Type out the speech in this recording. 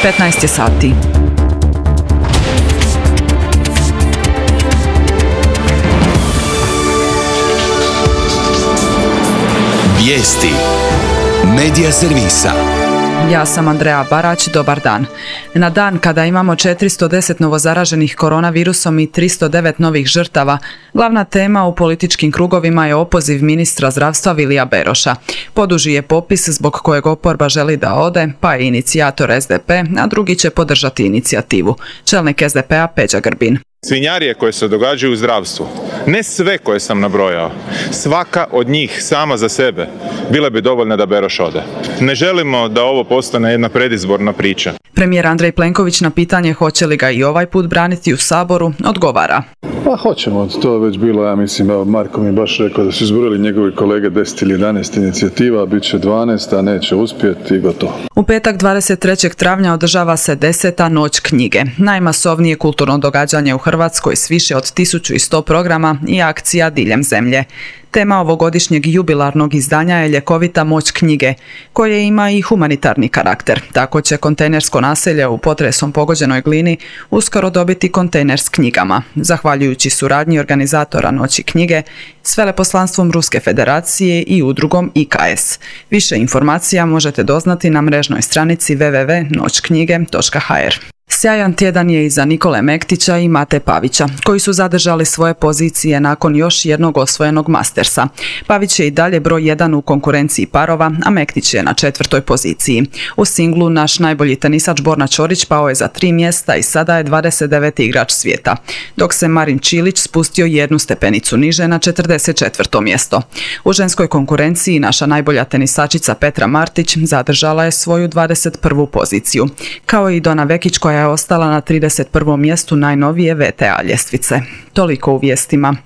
15 je sati. Vijesti Medija servisa. Ja sam Andreja Barać, dobar dan. Na dan kada imamo 410 novozaraženih koronavirusom i 309 novih žrtava, glavna tema u političkim krugovima je opoziv ministra zdravstva Vilija Beroša. Poduži je popis zbog kojeg oporba želi da ode, pa je inicijator SDP, a drugi će podržati inicijativu. Čelnik SDP-a Peđa Grbin. Svinjarije koje se događaju u zdravstvu, ne sve koje sam nabrojao, svaka od njih sama za sebe bile bi dovoljne da Beroš ode. Ne želimo da ovo postane jedna predizborna priča. Premijer Andrej Plenković na pitanje hoće li ga i ovaj put braniti u Saboru odgovara. Pa hoćemo, to je već bilo, ja mislim, Marko mi je baš rekao da su izborili njegovi kolege 10 ili 11 inicijativa, bit će 12, a neće uspjeti i gotovo. U petak 23. travnja održava se 10. Noć knjige, najmasovnije kulturno događanje u Hrvatskoj s više od 1100 programa i akcija diljem zemlje. Tema ovogodišnjeg jubilarnog izdanja je ljekovita moć knjige, koje ima i humanitarni karakter. Tako će kontejnersko naselje u potresom pogođenoj Glini uskoro dobiti kontejner s knjigama, zahvaljujući suradnji organizatora Noći knjige s veleposlanstvom Ruske federacije i udrugom IKS. Više informacija možete doznati na mrežnoj stranici www.noćknjige.hr. Sjajan tjedan je i za Nikole Mektića i Mate Pavića, koji su zadržali svoje pozicije nakon još jednog osvojenog Mastersa. Pavić je i dalje broj 1 u konkurenciji parova, a Mektić je na 4. poziciji. U singlu naš najbolji tenisač Borna Ćorić pao je za 3 mjesta i sada je 29. igrač svijeta, dok se Marin Čilić spustio jednu stepenicu niže na 44. mjesto. U ženskoj konkurenciji naša najbolja tenisačica Petra Martić zadržala je svoju 21. poziciju, kao i Dona Vekić koja je ostala na 31. mjestu najnovije VTA ljestvice. Toliko u vijestima.